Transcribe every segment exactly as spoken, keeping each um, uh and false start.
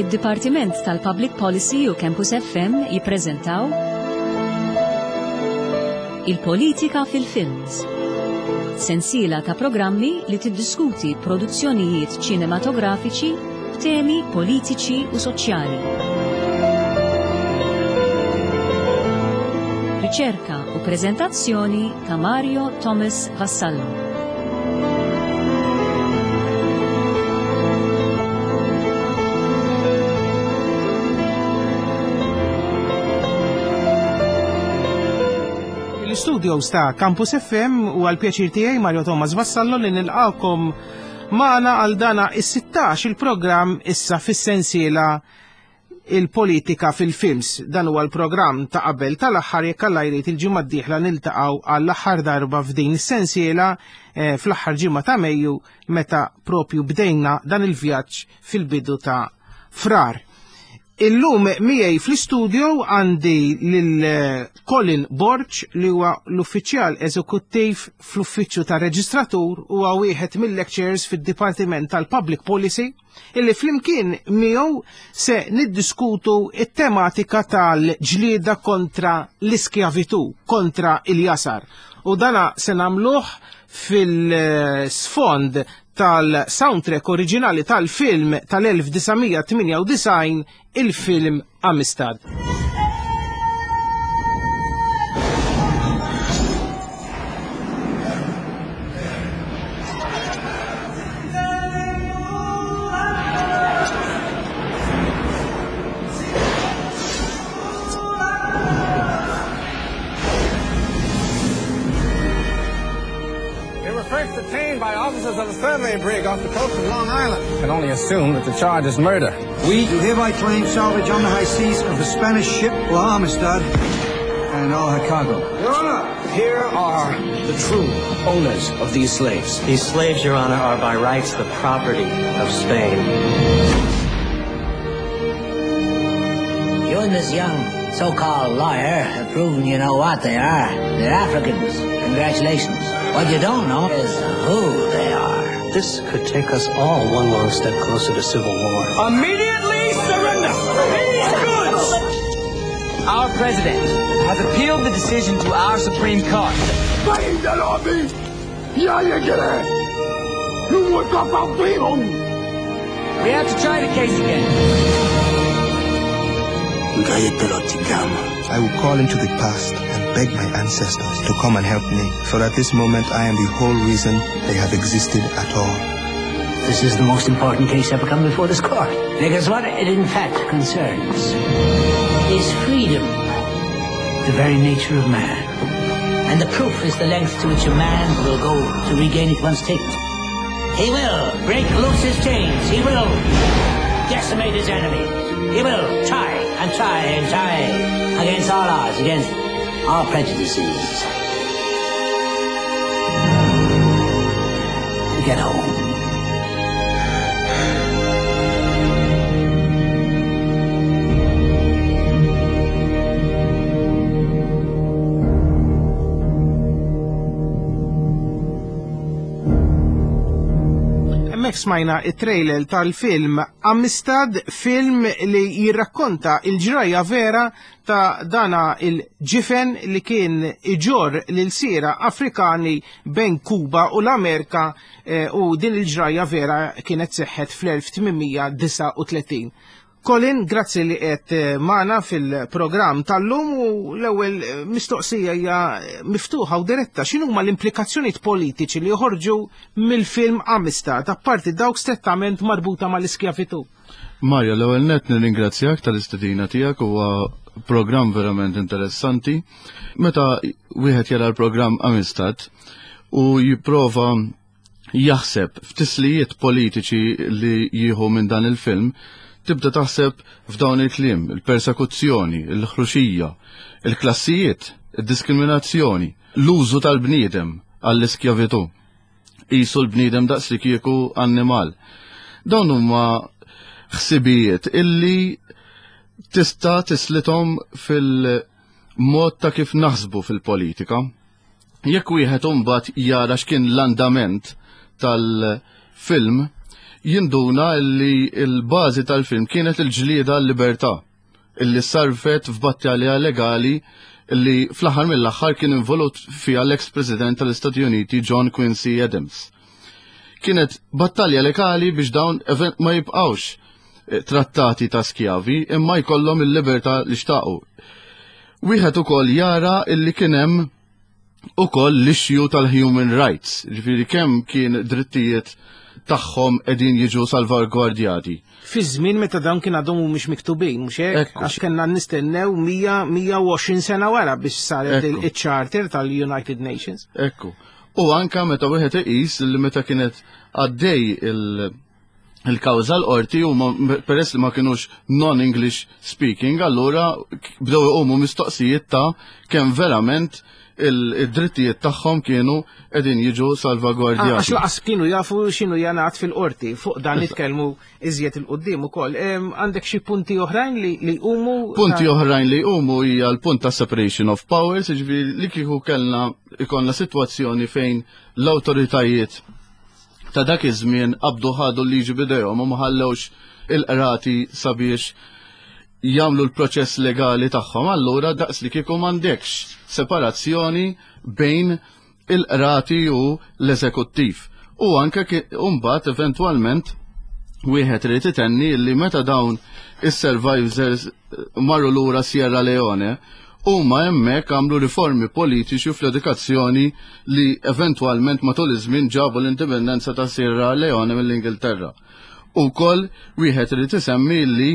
Id-Dipartiment tal-Public Policy u Campus F M jippreżentaw Il-Politika fil-Films. Sensiela ta' programmi li tiddiskuti produzzjonijiet ċinematografiċi b'temi politiċi u soċjali. Riċerka u preżentazzjoni ta' Mario Thomas Vassallo. L-studios ta' Campus F M u għal pjaċir tiegħi, Mario Thomas Vassallo, li nilqakom magħna għal dana is-sittax il-programm issa fis-sensiela Il-Politika fil-Films. Dan huwa l-programm ta' qabel tal-aħħar. Jekk Alla jrid, il-ġimgħa d-dieħla niltaqgħu għall-aħħar darba f'din is-sensiela eh, fl-aħħar ġimgħa ta' Mejju, meta propju bdejna dan il-vjaġġ fil-bidu ta' Frar. Illum miegħi fl-istudio għandi lil eh, Colin Borg, li huwa l-uffiċjal eżekuttiv fl-uffiċċju ta' reġistratur u huwa wieħed mill-lecturers fid-Dipartiment tal-Public Policy, illi flimkien miegħu se niddiskutu it-tematika tal-ġlieda kontra l-iskjavitu, kontra il-jasar. U dana se nagħmluh fil-sfond tal-soundtrack oriġinali tal-film tal-elf disa' mija tmienja u disgħin, il-film Amistad. They were first detained by officers of the survey brig off the coast of Long Island. Can only assume that the charge is murder. We do hereby claim salvage on the high seas of the Spanish ship La Amistad and all her cargo. Your Honor, here are the true owners of these slaves. These slaves, Your Honor, are by rights the property of Spain. You and this young so-called lawyer have proven you know what they are. They're Africans. Congratulations. What you don't know is who they are. This could take us all one long step closer to civil war. Immediately surrender these goods! Our president has appealed the decision to our Supreme Court. We have to try the case again. I will call into the past and beg my ancestors to come and help me, for at this moment I am the whole reason they have existed at all. This is the most important case ever come before this court. Because what it in fact concerns is freedom, the very nature of man. And the proof is the length to which a man will go to regain it once taken. He will break loose his chains. He will decimate his enemies. He will try and try and try against all odds, against all prejudices, to get home. Hemmhekk smajna it-trailer tal-film Amistad, film li jirrakkonta il-ġrajja vera ta' dana il-ġifen li kien iġorr l-ilsiera Afrikani bejn Kuba u l-Amerika eh, u din il-ġrajja vera kienet seħħet fl-elf tmien mija disgħa u tletin. Colin, grazzi li qed eh, magħna fil-programm tal-lum u l-ewwel eh, mistoqsija hija miftuħa u diretta. X'inhuma l-implikazzjonijiet politiċi li joħorġu mill-film Amistad, apparti dawk strettament marbuta mal-iskjavitu? Mario, l-ewwel net nirringrazzjak tal-istedina tiegħek, huwa programm verament interessanti. Meta wieħed jara l-programm Amistad u jipprova jaħseb f'tislijiet politiċi li jieħu minn dan il-film, tibda taħseb f'dawn il-kliem: il-persekuzzjoni, il-ħruxija, il-klassijiet, il-diskriminazzjoni, l-użu tal-bniedem għall-iskjavitu. Qisu l-bniedem daqs li kieku annimal. Dawn huma ħsibijiet illi tista' tislithom fil-mod ta' kif naħsbu fil-politika. Jekk wieħed imbagħad jara x'kien l-andament tal-film, jinduna li l-bażi tal-film kienet il-ġlieda għal-libertà illi sarfet f'battalja legali li fl-aħħar mill-aħħar kien involut fiha l-ex-president tal-Istati Uniti John Quincy Adams. Kienet battalja legali biex dawn ma jibqawx eh, trattati ta' skjavi imma jkollhom il-libertà li xtaqu. Wieħed ukoll jara illi kien hemm ukoll l-issue tal-human rights, ġifieri kemm kien drittijiet tagħhom qegħdin jiġu salvagwardjati. Fi żmien meta dawn kien għadhom mhumiex miktubin, mhux hekk? Għax kellna nistennew mija u għoxrin sena wara biex saret il-Charter tal-United Nations. Ekku. U anka meta wieħed iqis li meta kienet għaddej il- il-kawża l-qorti u peress li ma kienux non-English speaking, allura bdew iqumu mistoqsijiet ta' kemm verament il-drittijiet tagħhom kienu qegħdin jiġu salvagwardjati. Għax lanqas kienu jafu x'inhu jingħad fil-qorti, fuq dan nitkellmu iżjed 'il quddiem ukoll. Għandek xi punti oħrajn li jqumu? Punti oħrajn li jqumu hija l-punt ta' separation of powers, jiġifieri li kieku kellna ikollna sitwazzjoni fejn l-awtoritajiet ta' dak iż-żmien qabdu ħadu l-liġi b'idejhom u ma ħallewx il-qrati sabiex jagħmlu l-proċess legali tagħhom, allura daqs li kieku m'għandekx separazzjoni bejn il-qrati u l-eżekuttiv. U anke mbagħad eventwalment wieħed irid itenni li meta dawn is-survivors marru lura Sierra Leone, huma hemmhekk għamlu riformi politiċi fl-edukazzjoni li eventwalment matul iż-żmien ġabu l-indipendenza ta' Sierra Leone mill-Ingilterra. Ukoll wieħed irid isemmi li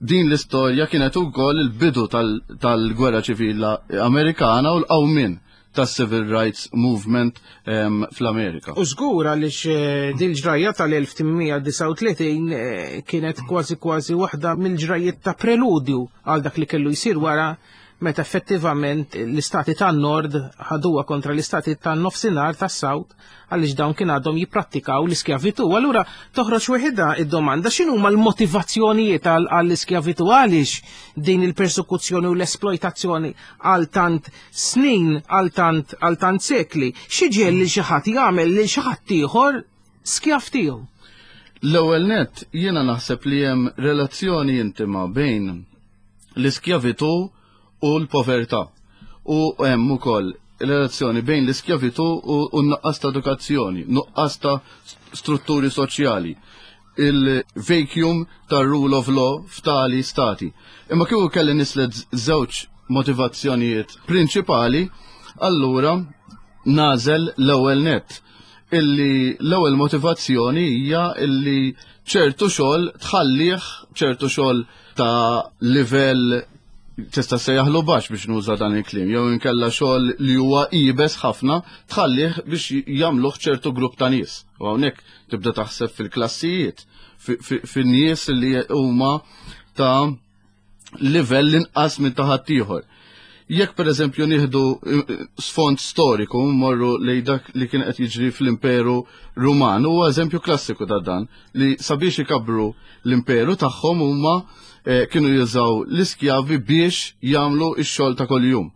din l-istorja kienet ukoll il-bidu tal-Gwerra Ċivili Amerikana u l-qawmien tas-Civil Rights Movement um, fl-Amerika. U żgur, għaliex eh, din ġrajja tal-elf tmien mija disgħa u tletin eh, kienet kważi kważi waħda mill-ġrajiet ta' preludju għal dak li kellu jsir wara, meta effettivament l-istati tan-nord ħaduha kontra l-istati tan-nofsinhar, tas-South, għaliex dawn kien għadhom jipprattikaw l-iskjavitu. Allura toħroġ weħidha id-domanda: x'inhu l-motivazzjonijiet għall-iskjavitu, għaliex din il-persekuzzjoni u l-esploitazzjoni għal tant snin, għal tant għal tant sekli, xi ġiegħel li xi ħadd jagħmel li xi ħadd ieħor skjav tiegħu? L-ewwel net, jiena naħseb li hemm relazzjoni intima bejn l-iskjavitu u l-povertà. U hemm ukoll relazzjoni bejn l-iskjavitu u n-nuqqas ta' edukazzjoni, nuqqas ta' strutturi soċjali, il-vacuum ta' rule of law f'tali stati. Imma kieku kelli nislet żewġ motivazzjonijiet prinċipali, allura nagħżel l-ewwel net illi l-ewwel motivazzjoni hija illi ċertu xogħol tħallih, ċertu xogħol ta' livell tista' sejjaħlu baxx biex nuża dan il-kliem, jew inkella xogħol li huwa iebes ħafna tħallih biex jagħmluh ċertu grupp ta' nies. U hawnhekk tibda taħseb fil-klassijiet, fin-nies li huma ta' livell inqas minn ta' ħaddieħor. Jekk per eżempju nieħdu eh, sfond storiku, morru li dak li kien qed jiġri fl-Imperu Ruman, huwa eżempju klassiku ta' dan, li sabiex ikabru l-imperu tagħhom huma eh, kienu jużaw l-iskjavi biex jagħmlu x-xogħol ta' kuljum.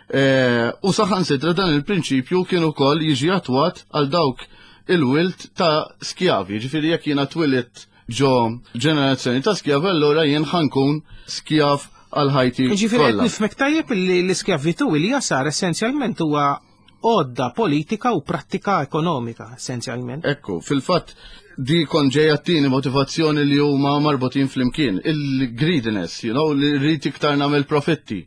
Eh, u saħansitra dan il-prinċipju kien ukoll jiġi attwat għal dawk il-wild ta' skjavi. Ġifieri jekk jiena twilidt ġo ġenerazzjoni ta' skjavi, allura jien ħa nkun skjav għal ħajti. Ġifieri qed nifhmek tajjeb li l-iskjavitu li jasar essenzjalment huwa għodda politika u prattika ekonomika essenzjalment. Ekku, fil-fatt di kon ġejja t-tieni motivazzjoni li huma marbutin flimkien, il-greediness, you know, li rrid iktar nagħmel profitti.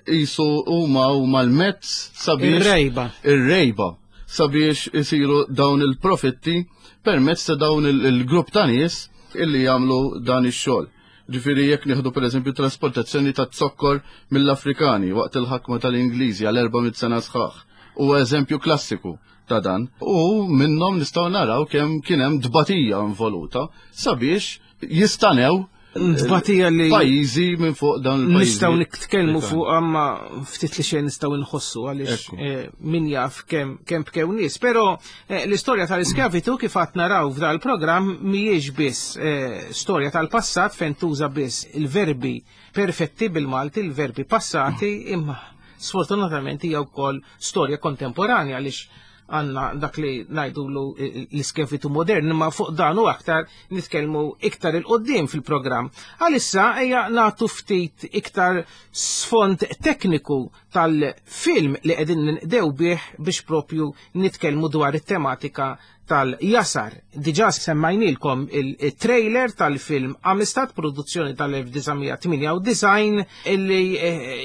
Jisu huma huma l-mezz sabiex. Ir-rejba. Ir-rejba sabiex isiru dawn il-profitti permezz ta' dawn il-grupp ta' nies illi jagħmlu dan ix-xogħol. Ġifieri jekk nieħdu pereżempju trasportazzjoni ta' zokkor mill-Afrikani waqt il-ħakma tal-Ingliżi għal erba' mitt sena sħaħ. Huwa eżempju klassiku ta' dan. U minnhom nistgħu naraw kemm kien hemm dbatija involuta sabiex jistanew Tbatija li pajjiżi minn fuq dan il-pajjiżi. Nistgħu nitkellmu fuq, amma ftit li xejn nistgħu nħossu, għaliex eh, min jaf kemm kemm bkew nies. Però eh, l-istorja tal-iskjavitu, kif qed naraw f'dal programm, mhijiex biss eh, storja tal-passat fejn tuża biss il-verbi perfetti bil-Malti, il-verbi passati, imma sfortunatament hija wkoll storja kontemporanja, għaliex għandna dak li ngħidulu l-iskjavitu modern, imma fuq dan u aktar nitkellmu iktar il-qoddim fil-programm. Għalissa ejja nagħtu ftit iktar sfond tekniku tal-film li qegħdin ninqdew bih biex propju nitkellmu dwar it-tematika tal-jasar. Diġà semmajnilkom il-trailer tal-film Amistad, produzzjoni tal-elf disa' mija tmienja u disgħin, illi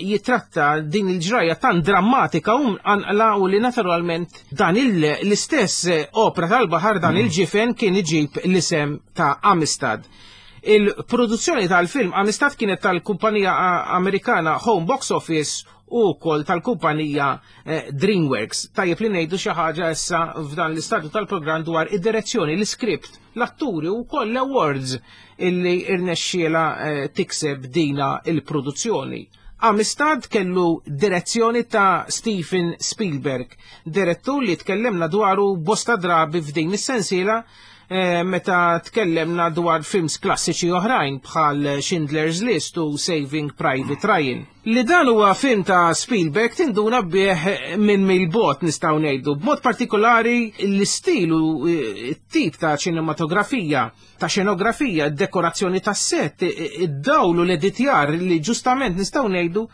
jitratta din il-ġrajja tan drammatika u mqanqla u li naturalment dan il-, l-istess opra tal-baħar, dan il-ġifen kien iġib l-isem ta' Amistad. Il-produzzjoni tal-film Amistad kienet tal-kumpanija Amerikana Home Box Office u wkoll tal-kumpanija, eh, DreamWorks. Tajjeb li ngħidu xi ħaġa issa f'dan l-istadju tal-programm dwar id-direzzjoni, l-iskript, l-atturi u wkoll l-awards illi irnexxiela, eh, tikseb dina il-produzzjoni. Amistad kellu direzzjoni ta' Steven Spielberg, direttur li tkellemna dwaru bosta drabi f'din is-sensiela, eh, meta tkellemna dwar films klassiċi oħrajn bħal Schindler's List u Saving Private Ryan. Li dan huwa film ta' Spielberg tinduna bih minn mill-bogħod nistgħu ngħidu, b'mod partikolari l-istil u t-tip ta' ċinematografija, ta' xenografija, d-dekorazzjoni tas set, id-dawl u l-editjar li ġustament nistgħu ngħidu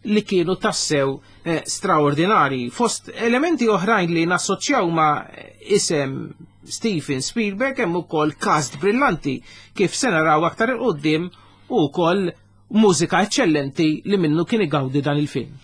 li kienu tassew, eh, straordinari. Fost elementi oħrajn li nassoċjaw ma' isem Steven Spielberg hemm ukoll cast brillanti kif se naraw aktar 'il quddiem u wkoll mużika eċċellenti li minnu kien igawdi dan il-film.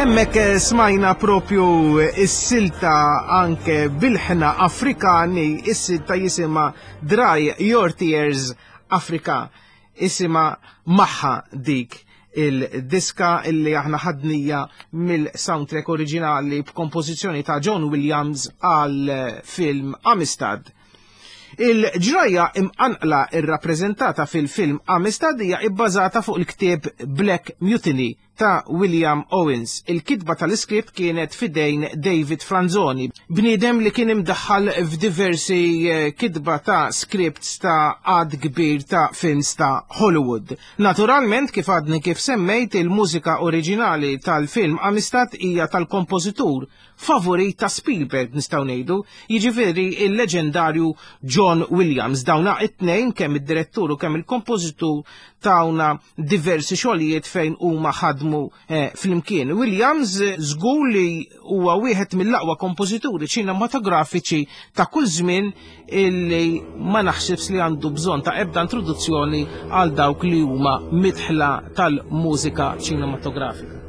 Hemmhekk smajna propju is-silta anke bil-ħna Afrikani, is-silta jisimha Dry Your Tears Africa, isimha maħħa dik il-diska illi aħna ħadnija mill-soundtrack oriġinali b'kompożizzjoni ta' John Williams għal film Amistad. Il-ġrajja imqanqla irrappreżentata fil-film Amistad hija ibbażata fuq il-ktieb Black Mutiny ta' William Owens. Il-kitba tal-iskript kienet fidejn David Franzoni, bniedem li kien imdaħħal f'diversi kitba ta' scripts ta' għad kbir ta' films ta' Hollywood. Naturalment, kif għadni kif semmejt, il-mużika oriġinali tal-film Amistad hija tal-kompożitur favorit ta' Spielberg, nistgħu ngħidu, jiġifieri il-leġendarju John Williams. Dawna it-tnejn, kemm id-direttur u kemm il-kompożitur, tawna diversi xogħlijiet fejn huma ħadmu eh, flimkien. Williams żgur li huwa wieħed mill-aqwa kompożituri ċinematografiċi ta' kull żmien illi ma naħsibx li għandu bżonn ta' ebda introduzzjoni għal dawk li huma midħla tal-mużika ċinematografika.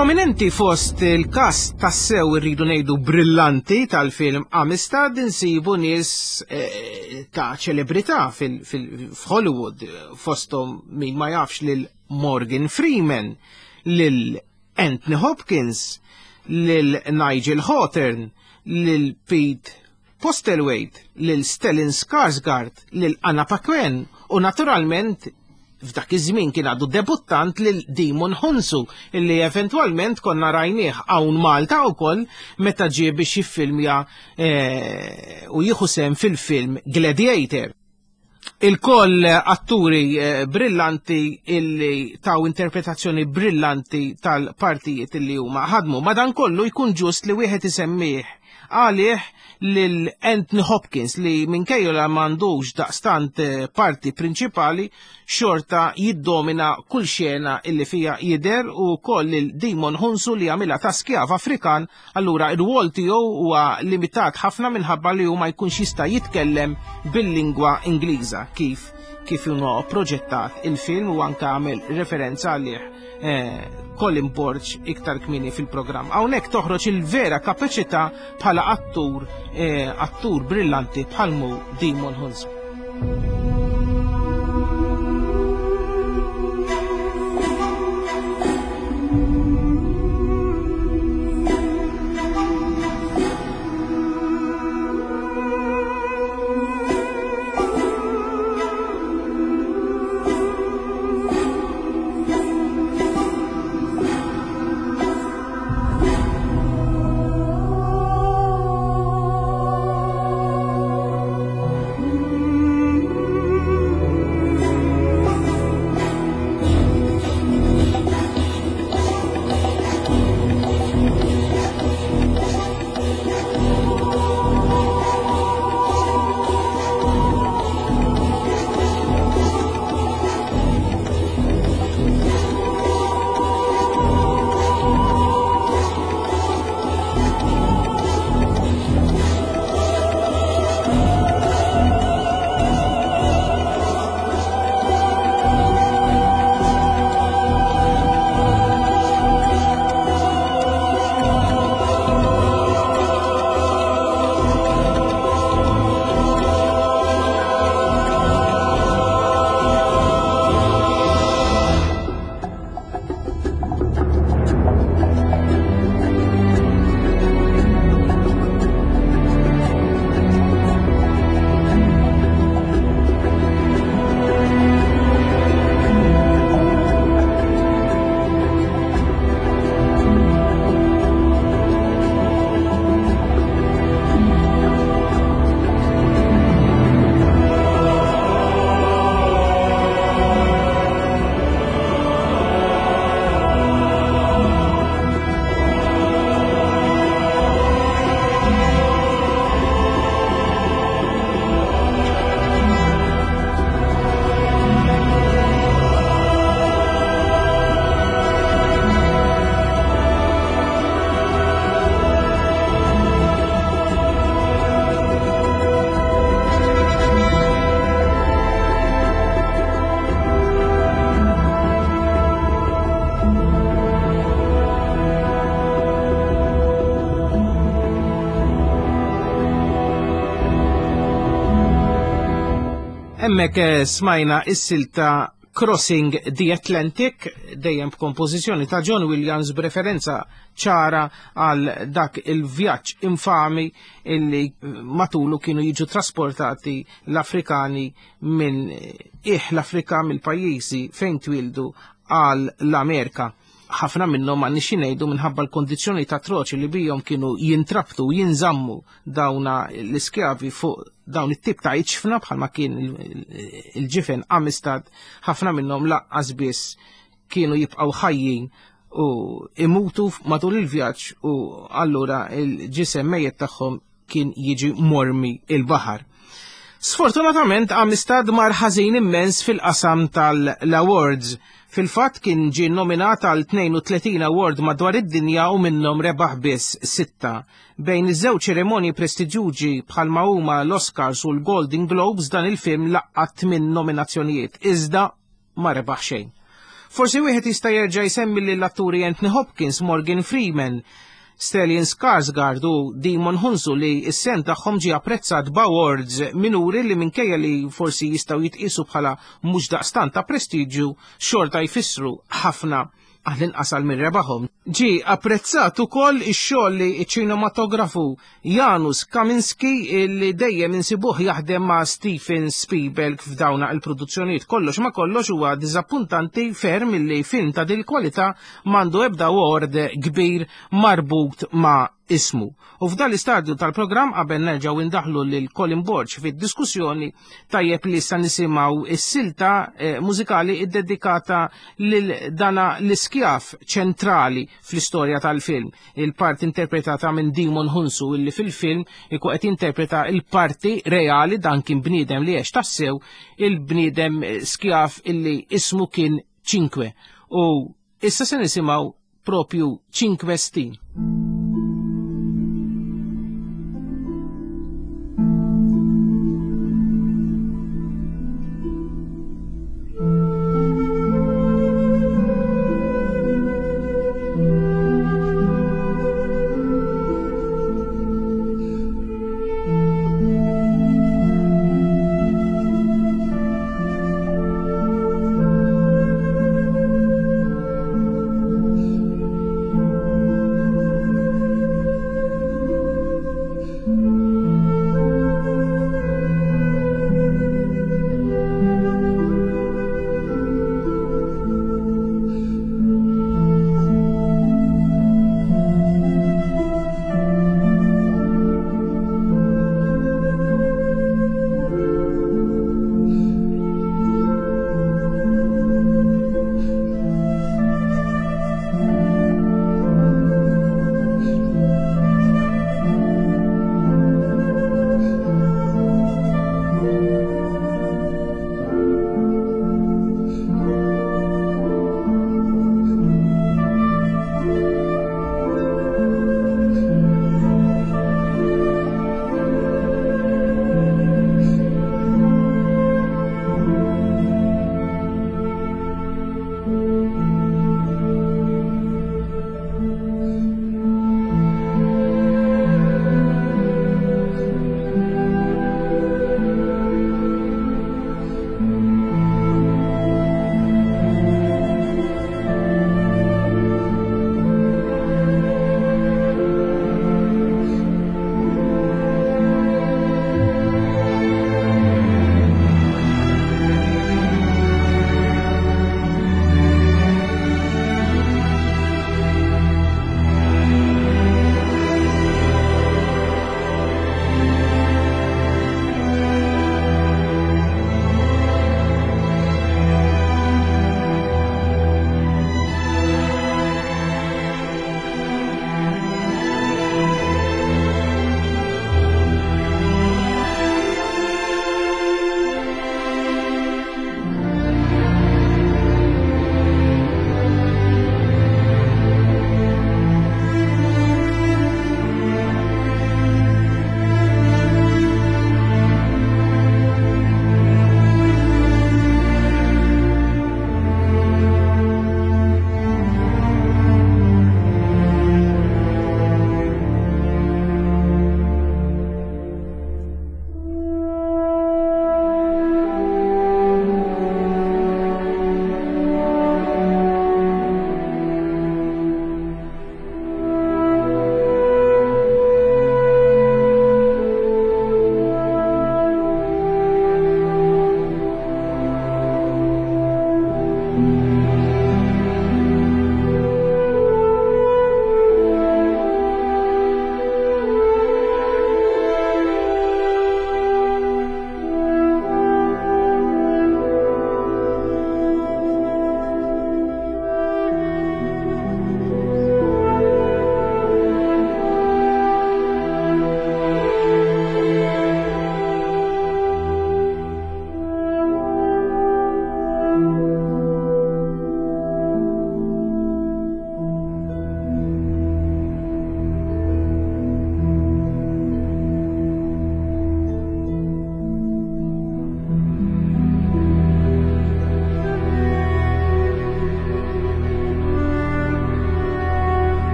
Prominenti fost il-kast tassew irridu ngħidu brillanti tal-film Amistad insibu nies eh, ta' ċelebrità fil-Hollywood, fosthom min ma jafx lil Morgan Freeman, lil Anthony Hopkins, lil Nigel Hawthorne, lil Pete Postlethwaite, lil Stellan Skarsgård, lil Anna Paquin u naturalment f'dak iż-żmien kien għadu debuttant lil Djimon Hounsou, illi eventwalment konna rajnieh hawn Malta wkoll meta ġie biex jiffilmja eh, u jieħu sehem fil-film Gladiator. Il-koll atturi eh, brillanti illi taw interpretazzjoni brillanti tal-partijiet illi huma ħadmu. Madankollu jkun ġust li wieħed isemmih għalih lil Anthony Hopkins li minkejja la m'għandux daqstant parti prinċipali xorta jiddomina kull xena illi fija jidher, u koll lil Djimon Hounsou li għamilha ta' skjav Afrikan, allura ir-rwol tiegħu huwa limitat ħafna minħabba li hu ma jkunx jista' jitkellem bil-lingwa Ingliża kif kif huwa proġettat il-film, u anke għamel referenza għalih eh, Colin Borg iktar kmieni fil-programm. Hawnhekk toħroġ il-vera kapaċità bħala attur eh, attur brillanti bħalmu Djimon Hounsou. Hemmhekk smajna is-silta Crossing the Atlantic, dejjem b'kompożizzjoni ta' John Williams b'referenza ċara għal dak il-vjaġġ infami illi matulu kienu jiġu trasportati l-Afrikani minn iħ l-Afrika mill-pajjiżi fejn twildu għal l-Amerika. Ħafna minnhom m'għandniex ngħidu minħabba l-kondizzjoni ta' troċi li bijhom kienu jintrabtu jinżammu dawna l-iskjavi fuq dawn it-tip ta' iċfna bħalma kien il-ġifen Amistad, ħafna minnhom laqqas biss kienu jibqgħu ħajjin u imutu matul il-vjaġġ u allura il-ġisem mejjet tagħhom kien jiġi mormi il-baħar. Sfortunatament Amistad mar ħażin immens fil-qasam tal-awards. Fil-fatt kien ġie nominat għal tnejn u tletin award madwar id-dinja u minnhom rebaħ biss sitta. Bejn iż-żewġ ċerimonji prestiġjużi bħalma huma l-Oscars u l-Golden Globes dan il-film laqqat tmien nominazzjonijiet, iżda ma rebaħ xejn. Forsi wieħed jista' jerġa' jsemmi lill-atturi Anthony Hopkins, Morgan Freeman, Stellan Skarsgård u Djimon Hounsou li s-sem tagħhom ġie apprezzat b'awards minuri li minkejja li forsi jistgħu jitqisu bħala mhux daqstant ta' prestiġju xorta jfissru ħafna għall-inqas għal min rebaħhom. Ġie apprezzat ukoll ix-xogħol li ċ-ċinematografu Janusz Kaminski li dejjem insibuh jaħdem ma' Steven Spielberg f'dawna il-produzzjonijiet. Kollox ma kollox huwa diżappuntanti ferm li film ta' dil kwalità m'għandu ebda award kbir marbut ma' ismu. U f'dan l-istadju tal-programm qabel nerġgħu indaħlu lil Colin Borg fid-diskussjoni tajjeb li issa nisimgħu is-silta mużikali iddedikata lil dana l-iskjaf ċentrali fl-istorja tal-film, il-parti interpretata minn Djimon Hounsou illi fil-film ikun qed jinterpreta il-parti reali dan kien bniedem li għex tassew, il-bniedem skjaf illi ismu kien Cinque. U issa se nisimgħu propju Cinque Stin. Thank you.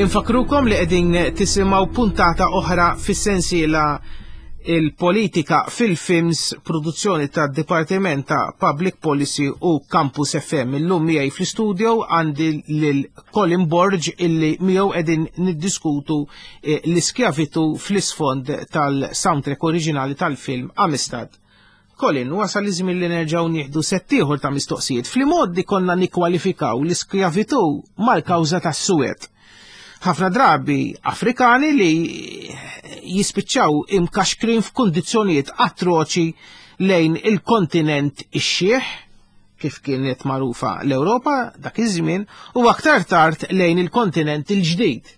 Infakkrukom li qegħdin tisimgħu puntata oħra fis-sensiela il-politika fil-films, produzzjoni ta' Dipartiment ta' Public Policy u Campus F M. Illum miegħi fl-studio għandi lil Colin Borg, illi miegħu qegħdin niddiskutu eh, l-iskjavitu fl-isfond tal-soundtrack oriġinali tal-film Amistad. Colin, wasal iż-żmien li nerġgħu nieħdu sett ieħor ta' mistoqsijiet. Fl-modi konna nikkwalifikaw l-iskjavitu mal-kawża tas-suwed. Ħafna drabi Afrikani li jispiċċaw imkaxkrin f'kundizzjonijiet atroċi lejn il-kontinent ix-xiħ, kif kienet magħrufa l-Ewropa dak iż-żmien, u aktar tard lejn il-kontinent il-ġdid,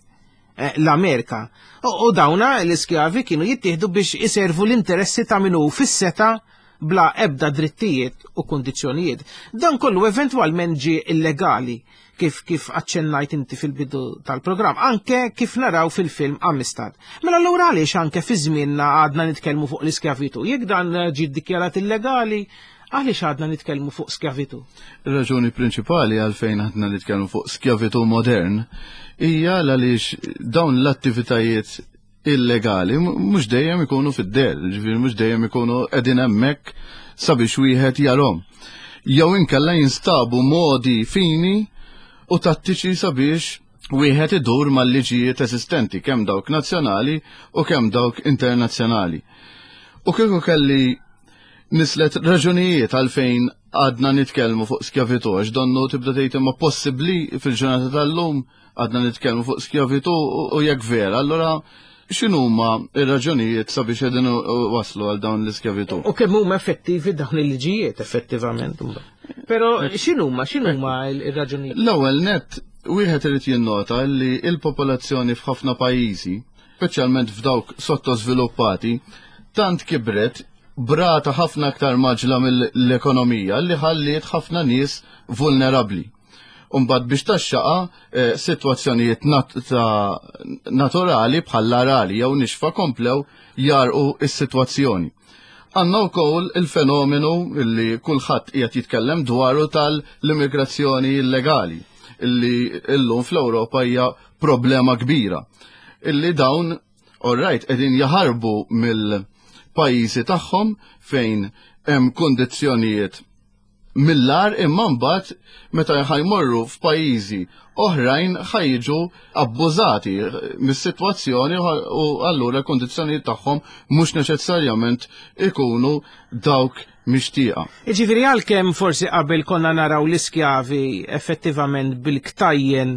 eh, l-Amerika. U dawna l-iskjavi kienu jittieħdu biex iservu l-interessi ta' minu fis-seta bla ebda drittijiet u kundizzjonijiet. Dan kollu eventwalment ġie illegali, kif kif aċċennajt inti fil-bidu tal-programm, anke kif naraw fil-film Amistad. Mela allura għaliex anke fi żmienna għadna nitkellmu fuq l-iskjavitu? Jekk dan ġie ddikjarat illegali, għaliex għadna nitkellmu fuq skjavitu? Ir-raġuni prinċipali għalfejn għadna nitkellmu fuq skjavitu modern hija għaliex dawn l-attivitajiet illegali mhux dejjem ikunu fid-der, ġifieri mhux dejjem ikunu qegħdin hemmhekk sabiex wieħed jarhom. Jew inkella jinstabu modi fini u tattiċi sabiex wieħed idur mal-liġijiet eżistenti, kemm dawk nazzjonali u kemm dawk internazzjonali. U kieku kelli nislet raġunijiet għalfejn għadna nitkellmu fuq skjavitu, għax donnu tibda tgħid imma possibbli fil-ġurnata tal-lum għadna nitkellmu fuq skjavitu, u jekk vera, allura x'inhuma ir-raġunijiet sabiex qegħdin waslu għal dawn l-iskjavitu? U kemm huma effettivi dawn il-liġijiet effettivament? Però x'inhuma x'inhuma ir-raġunijiet? L-ewwel net, wieħed irid jinnota li l-popolazzjoni f'ħafna pajjiżi, speċjalment f'dawk sottosviluppati, tant kibret brata ħafna aktar maġla mill-ekonomija li ħalliet ħafna nies vulnerabbli. Umbagħad biex taxxaqa eh, sitwazzjonijiet nat ta' naturali bħall-arali jew nixfa komplew jarqu is-sitwazzjoni. Għandna wkoll il-fenomenu illi kulħadd qiegħed jitkellem dwaru tal-immigrazzjoni illegali, illi illum fl-Ewropa hija problema kbira. Illi dawn, all right, qegħdin jaħarbu mill-pajjiżi tagħhom fejn hemm kondizzjonijiet mill-agħar, imma mbagħad meta ħa jmorru f'pajjiżi oħrajn ħa jiġu abbużati mis-sitwazzjoni u allura l-kondizzjonijiet tagħhom mhux neċessarjament ikunu dawk mixtieqa. Ġifieri għalkemm forsi qabel konna naraw l-iskjavi effettivament bil-ktajjen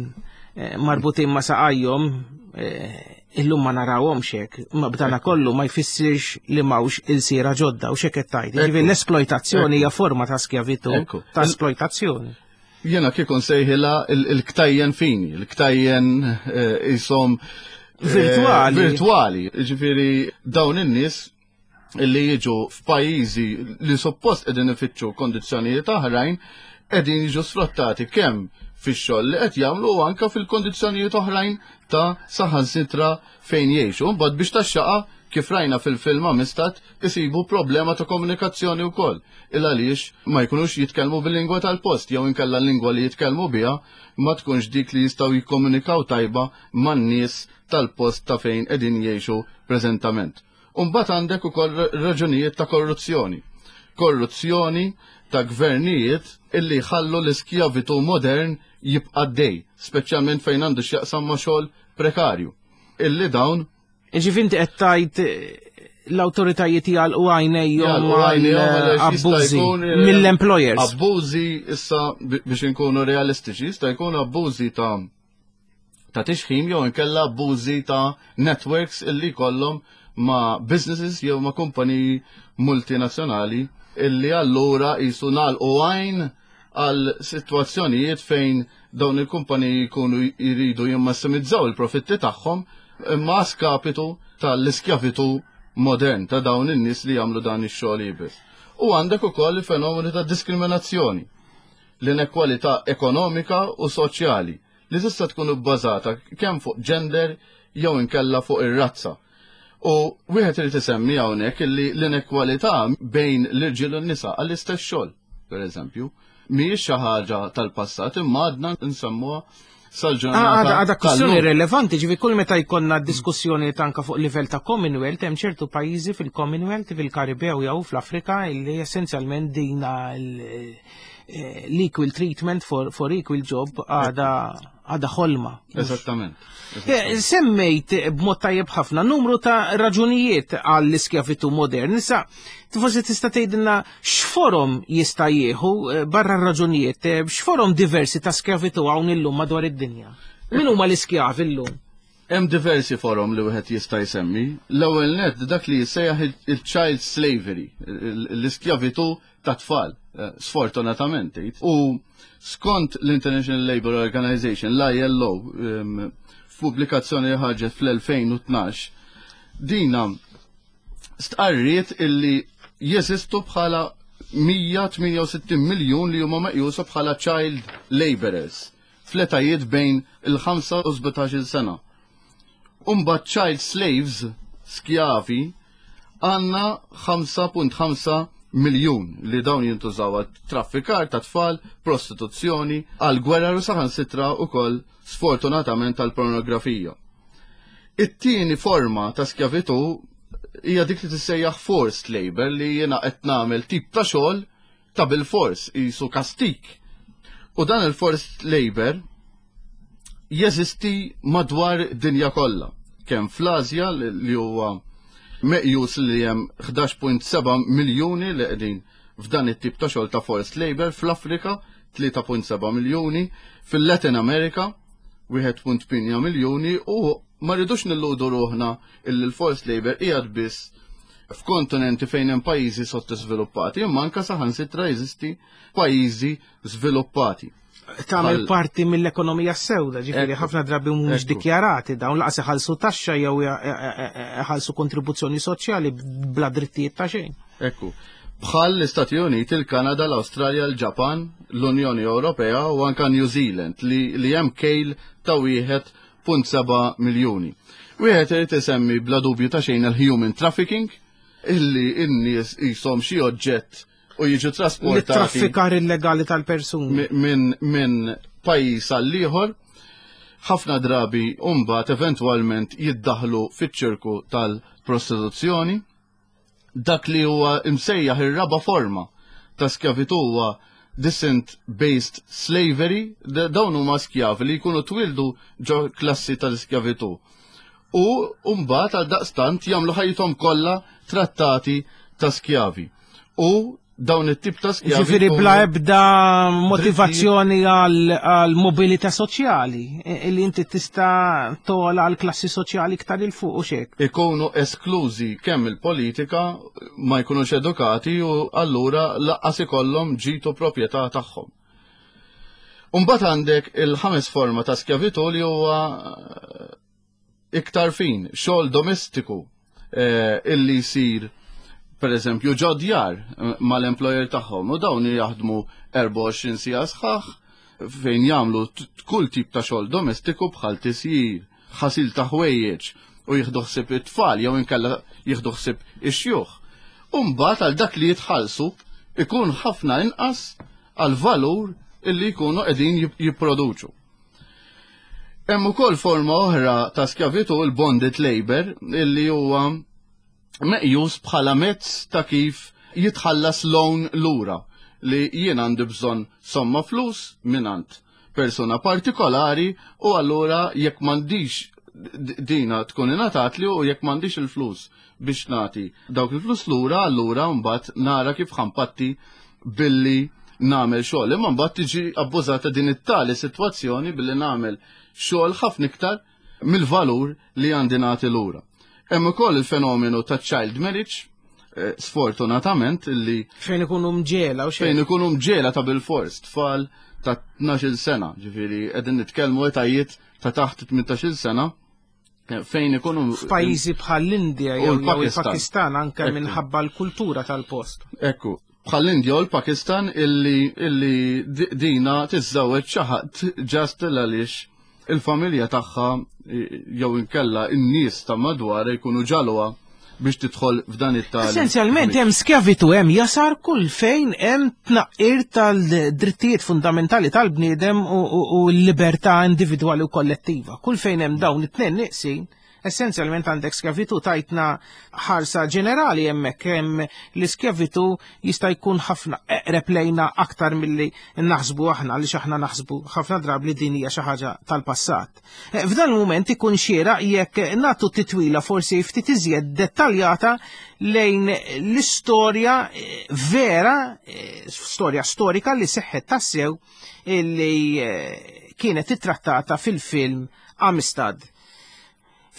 eh, marbutin ma' saqajhom, eh, illum ma narawhomx hekk, ma b'dana kollu ma jfissirx li m'hawnx ilsiera ġodda u x'hekk qed tgħid. Ġifieri l-esploitazzjoni hija forma ta' skjavitu, Ekku. ta' esploitazzjoni. Jena kieku nsejħilha il-ktajjen fini, il-ktajjen jisom Virtuali. Virtuali. Ġifieri dawn in-nies illi jiġu f'pajjiżi li suppost qegħdin ifittxu kondizzjonijiet oħrajn qegħdin jiġu sfruttati kemm fix-xogħol li qed jagħmlu u anke fil-kondizzjonijiet oħrajn ta' saħansitra fejn jgħixu. Mbagħad biex taxxaqa, kif rajna fil-film Amistad, isibu problema ta' komunikazzjoni wkoll. Il għaliex ma jkunux jitkellmu bil-lingwa tal-post jew inkella l-lingwa li jitkellmu biha ma tkunx dik li jistgħu jikkomunikaw tajba man-nies tal-post ta' fejn qegħdin jgħixu preżentament. Umbagħad għandek ukoll raġunijiet ta' korruzzjoni. Korruzzjoni ta' gvernijiet illi jħallu l-iskjavitu modern jibqa' dej, speċjalment fejn għandu x'jaqsam ma' xogħol prekarju. Illi dawn Ġifieri inti qed tgħid eh, l-awtoritajiet jagħlqu għajnejhom Jagħlqu għajnejhom għaliex jista' abbużi jkun, eh, mill-employers. Abbużi issa, bi- biex inkunu realistiċi, jista' jkun abbużi ta' ta' tixħim jew inkella abbużi ta' networks illi kollhom ma' businesses jew ma' kumpaniji multinazzjonali illi allura jisu nagħlqu għajn għal situazzjonijiet fejn dawn il-kumpaniji jkunu jridu jimmassimizzaw il-profitti tagħhom imma skapitu tal-iskjavitu modern ta' dawn in-nies li jagħmlu dan ix-xogħol iebes. U għandek ukoll il-fenomenu ta' diskriminazzjoni, l-inekwalità ekonomika u soċjali li tista' tkun bbażata kemm fuq gender jew inkella fuq ir-razza. U wieħed irid isemmi hawnhekk illi l-inekwalità bejn l-irġiel u n-nisa għall-istess xogħol, pereżempju, mhijiex xi ħaġa tal-passat imma għadna nsemmuha sal-ġurnata. Għada kwestjoni relevanti, ġifi kull meta jkollna diskussjoni tanka fuq livell ta' Commonwealth, hemm ċertu pajjiżi fil-Commonwealth, fil-Karibew jew fl-Afrika illi essenzjalment dina l-equal treatment for, for equal job għada għada ħolma. Eżattament. Semmejt b'mod tajjeb ħafna numru ta' raġunijiet għall-iskjavitu modern. Issa, forsi tista' tgħidilna x'forom jista' jieħu barra raġunijiet, x'forom diversi ta' skjavitu hawn illum madwar id-dinja. Min huma l-iskjavi llum? Hemm diversi forom li wieħed jista' jsemmi. L-ewwel net dak li jissejjaħ il-child slavery, l-iskjavitu ta' tfal, sfortunatament. U skont l-International Labour Organization, l-I L O, f'pubblikazzjoni li ħarġet fl-elfejn u tnax, dina stqarriet illi jeżistu bħala mija tmienja u sittin miljun li huma meqjusa bħala child laborers fl-etajiet bejn il-ħamsa u sbatax-il sena. Umbagħad child slaves, skjavi, għandna ħamsa punt ħamsa miljun li dawn jintużaw għat traffikar ta' tfal, prostituzzjoni, għal gwerra u saħansitra ukoll sfortunatament għal pornografija. It-tieni forma ta' skjavitu hija dik li tissejjaħ forced labor, li jiena qed nagħmel tip ta' xogħol ta' bil-fors, qisu kastik. U dan il-forced labor jeżisti madwar dinja kollha, kemm fl-Asja li huwa meqjus li hemm ħdax punt seba' miljuni li qegħdin f'dan it-tip ta' xogħol ta' forced labor, fl-Afrika tlieta punt seba' miljuni, fil-Latin America wieħed punt tmienja miljuni, u ma rridux nilludu ruħna illi l-forced labor qiegħed biss f'kontinenti fejn hemm pajjiżi sottosviluppati, imma anke saħansitra jeżisti pajjiżi żviluppati. Tagħmel Bħal parti mill-ekonomija sewda, ġifieri Ekku. ħafna drabi mhumiex Ekku. dikjarati dawn, laqas iħallsu taxxa jew iħallsu kontribuzzjoni soċjali bla drittijiet ta' xejn. Ekku. Bħal l-Istati Uniti, il-Kanada, l-Awstralja, l-Ġapan, l-Unjoni Ewropea u anka New Zealand li, li hemm kejl ta' wieħed punt seba' miljuni. Wieħed irid isemmi bla dubju ta' xejn il-human trafficking, illi n-nies qishom xi oġġett u jiġu trasportati L-traffikar illegali tal-persuni. mi-, minn, minn pajjiż għal ieħor, ħafna drabi mbagħad eventwalment jiddaħlu fiċ-ċirku tal-prostituzzjoni. Dak li huwa imsejjaħ ir-raba forma ta' skjavitu huwa descent-based slavery, d-, dawn huma skjavi li jkunu twildu ġo klassi tal-skjavitu. U mbagħad għal daqstant jagħmlu ħajjithom kollha trattati ta' skjavi. U dawn it-tip ta' skjavi Ġifieri jkunu bla ebda motivazzjoni għal, għal mobilità soċjali, e, li inti tista' tola għal klassi soċjali iktar il fuq u xek. Ikunu esklużi kemm il-politika, ma jkunux edukati u allura laqqas ikollhom ġitu proprjetà tagħhom. Umbagħad għandek il-ħames forma ta' skjavitu li huwa iktar fin, xogħol domestiku, eh, illi jsir per eżempju ġo djar, eh, mal-employer tagħhom, u dawn jaħdmu erbgħa u għoxrin siegħa sħaħ fejn jagħmlu t-, kull tip ta' xogħol domestiku bħal tisjir, ħasil ta' ħwejjeġ u jieħdu ħsieb it-tfal jew inkella jieħdu ħsieb ix-xjuħ. U mbagħad għal dak li jitħallsu ikun ħafna inqas għal valur illi jkunu qegħdin jip-, jipproduċu. Hemm ukoll forma oħra ta' skjavitu, il-bonded labor, illi huwa meqjus bħala mezz ta' kif jitħallas loan lura, li jien għandi bżonn somma flus minant persuna partikolari u allura jekk m'għandix d-, dina tkun ingħatatli u jekk m'għandix il-flus biex nagħti dawk il-flus lura, allura mbagħad nara kif ħampatti billi nagħmel xogħol. Imma mbagħad tiġi abbużata din it-tali sitwazzjoni billi nagħmel xogħol ħafna iktar mill-valur li għandi nagħti lura. Hemm ukoll il-fenomenu ta' child marriage, eh, sfortunatament, illi fejn ikunu mġiegħla u xejn. Fejn ikunu mġiegħla ta' bil-fors, tfal ta' tnax-il sena, ġifieri qegħdin nitkellmu etajiet ta' taħt tmintax-il sena, eh, fejn ikunu f'pajjiżi bħal l-Indja u jew l-Pakistan. il-Pakistan anke Ekku. minħabba l-kultura tal-post. Ekku, bħal l-Indja u l-Pakistan illi, illi di-, dina tiżżewweġ xi ħadd ġast għaliex il-familja tagħha jew inkella n-nies ta' madwar jkunu ġalwa biex tidħol f'dan it-tali. Essenzjalment hemm skjavitu, hemm jasar kull fejn hemm tnaqqir tal-drittijiet fundamentali tal-bniedem u l-libertà individwali u kollettiva. Kull fejn hemm dawn it-tnejn nieqsin, essenzjalment għandek skjavitu. Tajtna ħarsa ġenerali hemmhekk hemm l-iskjavitu jista' jkun ħafna eqreb lejna aktar milli naħsbu aħna, għaliex aħna naħsbu ħafna drabi li din hija xi ħaġa tal-passat. F'dan il-mument ikun xieraq jekk nagħtu titwila forsi ftit iżjed dettaljata lejn l-istorja vera, storja storika li seħħet tassew illi kienet ittrattata fil-film Amistad.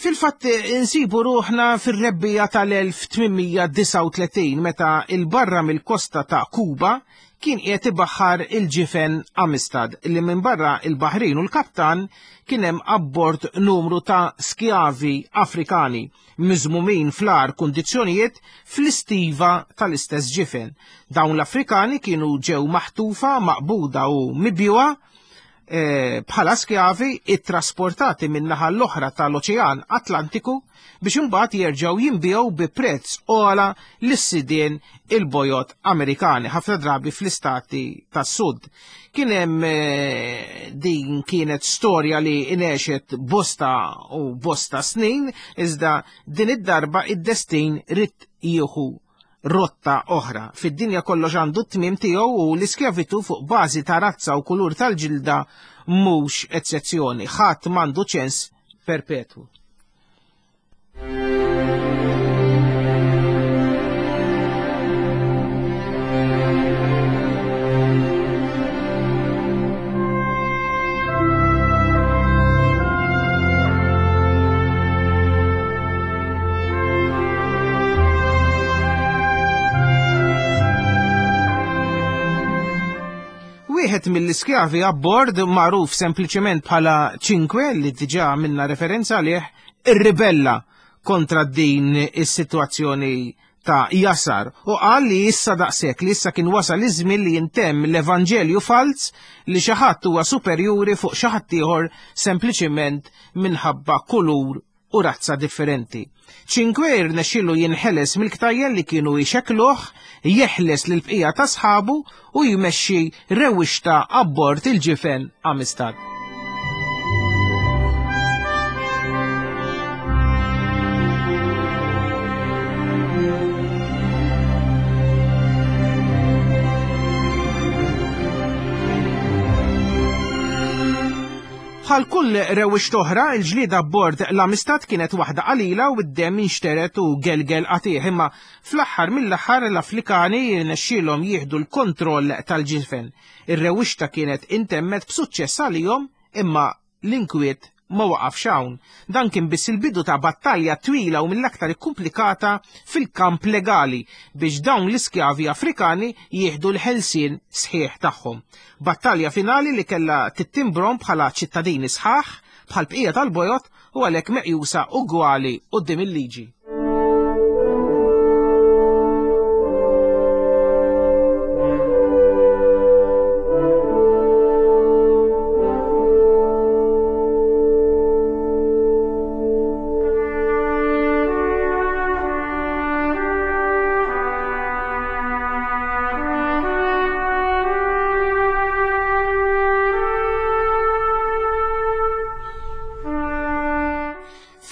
Fil-fatt insibu ruħna fir-rebbija tal-elf tmien mija disgħa u tletin meta il-barra mill-kosta ta' Kuba kien qiegħed ibaħħar il-ġifen Amistad li minn barra il-Baħrin u l-kaptan kien hemm abbord numru ta' skjavi Afrikani miżmumin fl-agħar kundizzjonijiet fl-istiva tal-istess ġifen. Dawn l-Afrikani kienu ġew maħtufa, maqbuda u mibjuha bħala skjavi ittrasportati minn naħa l-oħra tal-Oċean Atlantiku biex imbagħad jerġgħu jinbiegħu bi prezz ogħla lis-sidien il-bojod Amerikani, ħafna drabi fl-istati tas-Sud. Kien hemm din kienet storja li inexet bosta u bosta snin, iżda din id-darba id-destin rid jieħu rotta oħra. Fid-dinja kollox għandu t-tmiem tiegħu u l-iskjavitu fuq bażi ta' razza u kulur tal-ġilda mhux eċċezzjoni. Ħadd m'għandu ċens perpetwu. Wieħed mill-iskjavi abbord, magħruf sempliċement bħala Cinque, li diġà minna referenza għalih, irribella kontra din is-sitwazzjoni ta' jasar u qal li issa daqshekk, li issa kien wasal iż-żmien li jintemm l-Evanġelju falz li xi ħadd huwa superjuri fuq xi ħadd ieħor sempliċement minħabba kulur u razza differenti. Cinque rnexxielu jinħeles mill-ktajjen li kienu jxekkluh, jeħles lil bqija ta' sħabu u jmexxi rewwixta abbord il-ġifen Amistad. Bħal kull rewwixta oħra, il-ġlieda abbord l-Amistad kienet waħda qalila u d-demm inxteret u gelgel qatih, imma fl-aħħar mill-aħħar l-Afrikani rnexxielhom jieħdu l-kontroll tal-ġifen. Ir-rewwixta kienet intemmet b'suċċess għalihom, imma l-inkwiet ma waqafx hawn. Dan kien biss il-bidu ta' battalja twila u mill-aktar ikkumplikata fil-kamp legali biex dawn l-iskjavi Afrikani jieħdu l-ħelsien sħiħ tagħhom. Battalja finali li kellha tittimbrom bħala ċittadini sħaħ bħal bqija tal-bojot u għalhekk meqjusa ugwali quddiem il-liġi.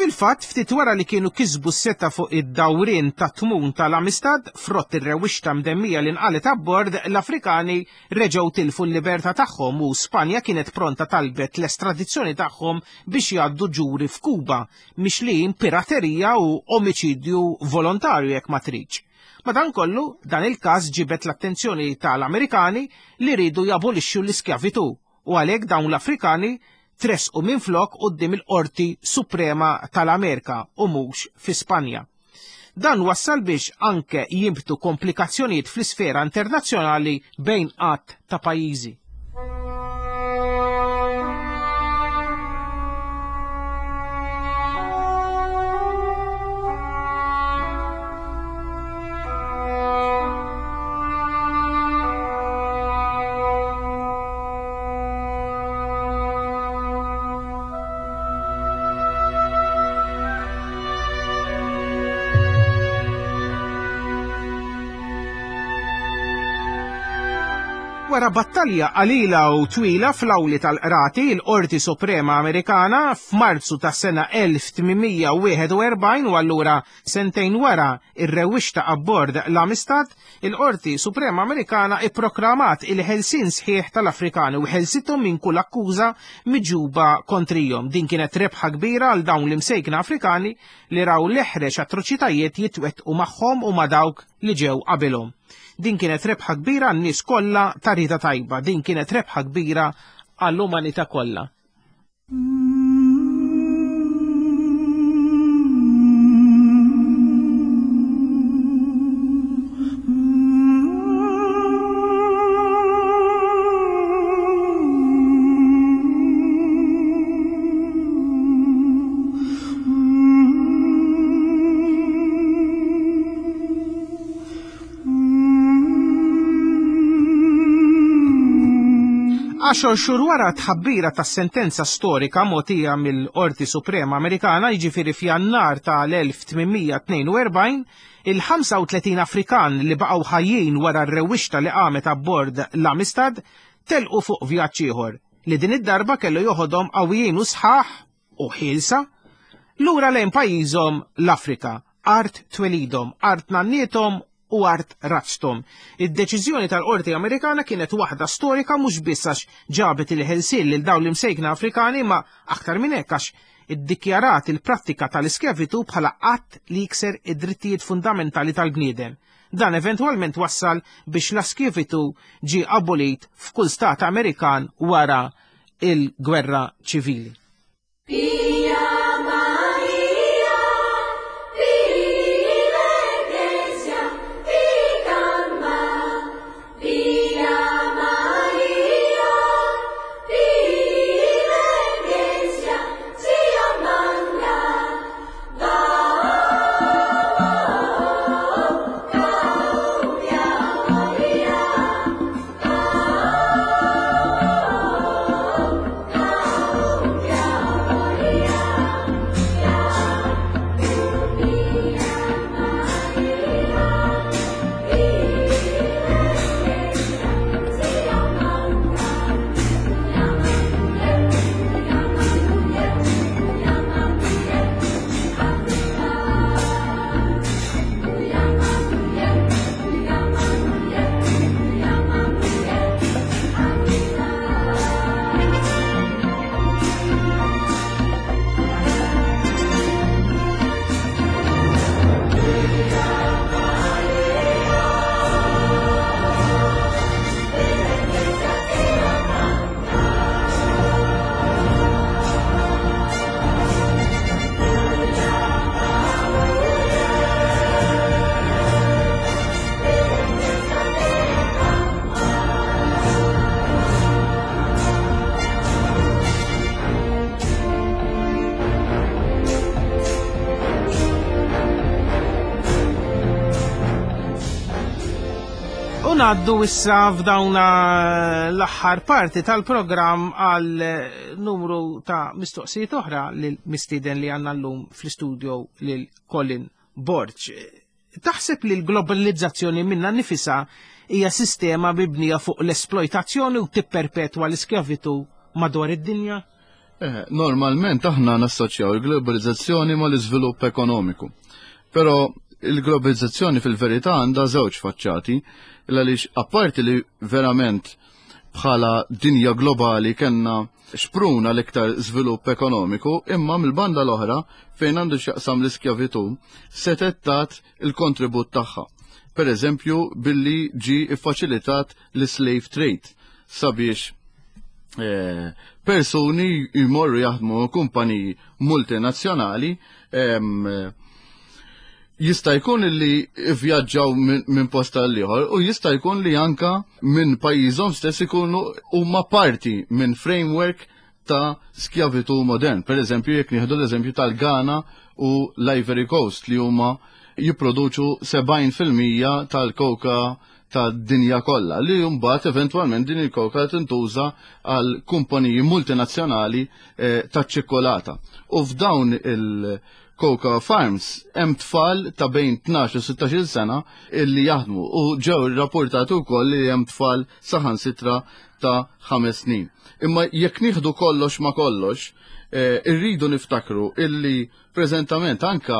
Fil-fatt, ftit wara li kienu kisbu s-seta fuq id-dawrien ta' tmun tal-Amistad, frott ir-rewwixta mdemmija li nqalet abbord, l-Afrikani reġgħu tilfu l-libertà tagħhom u Spanja kienet pronta talbet l-estradizzjoni tagħhom biex jgħaddu ġuri f'Kuba, mixlijin piraterija u omiċidju volontarju jekk ma tridx. Madankollu, dan il-każ ġibet l-attenzjoni tal-Amerikani li rridu jabolixxu l-iskjavitu u għalhekk dawn l-Afrikani tresqu minflok quddiem il-Qorti Suprema tal-Amerika u mhux fi Spanja. Dan wassal biex anke jinbtu komplikazzjonijiet fl-isfera internazzjonali bejn qatt ta' pajjiżi. Wara battalja qalila u twila fl-awli tal-qrati, il-Qorti Suprema Amerikana f'Marzu tas-sena elf tmien mija wieħed u erbgħin, u allura sentejn wara ir-rewwixta abbord l-Amistad, il-Qorti Suprema Amerikana ipproklamat il-ħelsien sħiħ tal-Afrikani u ħelsithom minn kull akkuża miġuba kontrihom. Din kienet rebħa kbira għal dawn l-imsejkna Afrikani li raw l-eħrex atroċitajiet jitwettqu magħhom u ma' dawk li ġew qabilhom. Din kienet rebħa kbira għan-nies kollha ta' rieda tajba, din kienet rebħa kbira għall-umanità kollha. Għaxar xhur wara tħabbira tas-sentenza storika mogħtija mill-Qorti Suprema Amerikana, jiġifieri f'Jannar tal-elf tmien mija tnejn u erbgħin, il-ħamsa u tletin Afrikan li baqgħu ħajjin wara r-rewwixta li qamet abbord l-Amistad telqu fuq vjaġġ ieħor li din id-darba kellu joħodhom qawwijin u sħaħ u ħielsa lura lejn pajjiżhom l-Afrika, art twelidhom, art nanniethom u art razztom. Id-deċiżjoni tal-Qorti Amerikana kienet waħda storika mhux biss għax ġabet il-ħelsien lil dawn l-imsejkna Afrikani, ma aktar minn hekk għax iddikjarat il-prattika tal-iskjavitu bħala att li jikser id-drittijiet fundamentali tal-bniedem. Dan eventwalment wassal biex l-iskjavitu ġie abolit f'kull stat Amerikan wara il-gwerra ċivili. Ngħaddu issa f'dawna l-aħħar parti tal-programm għal numru ta' mistoqsijiet oħra lil mistieden li għandna llum fl-istudio lil Colin Borg. Taħseb li l-globalizzazzjoni minna nifisha hija sistema mibnija fuq l-esploitazzjoni u tipperpetwa l-iskjavitu madwar id-dinja? Eh, normalment aħna nassoċjaw il-globalizzazzjoni mal-iżvilupp ekonomiku. Però il-globalizzazzjoni fil-verità għandha żewġ faċċati, għaliex apparti li verament bħala dinja globali kellna xpruna l-iktar żvilupp ekonomiku, imma mill-banda l-oħra fejn għandu x'jaqsam l-iskjavitu setet tat il-kontribut tagħha. Per eżempju, billi ġi iffaċilitat l-slave trade sabiex, eh, persuni jmorru jaħdmu kumpaniji multinazzjonali, em, jista' jkun li vjaġġaw minn, minn post għal ieħor u jista' jkun li anka minn pajjiżhom stess ikunu huma parti minn framework ta' skjavitu modern. Per eżempju, jekk nieħdu l-eżempju tal-Ghana u l-Ivory Coast li huma jipproduċu sebgħin fil-mija tal-koka tad-dinja kollha, li mbagħad eventwalment din il-koka tintuża għal kumpaniji multinazzjonali, eh, taċ-ċikkolata. U f'dawn il- Cocoa Farms hemm tfal ta' bejn tnax u sittax-il sena illi jaħdmu u ġew irrapportati wkoll li hemm tfal saħansitra ta' ħames snin. Imma jekk nieħdu kollox ma' kollox, eh, irridu niftakru illi preżentament anka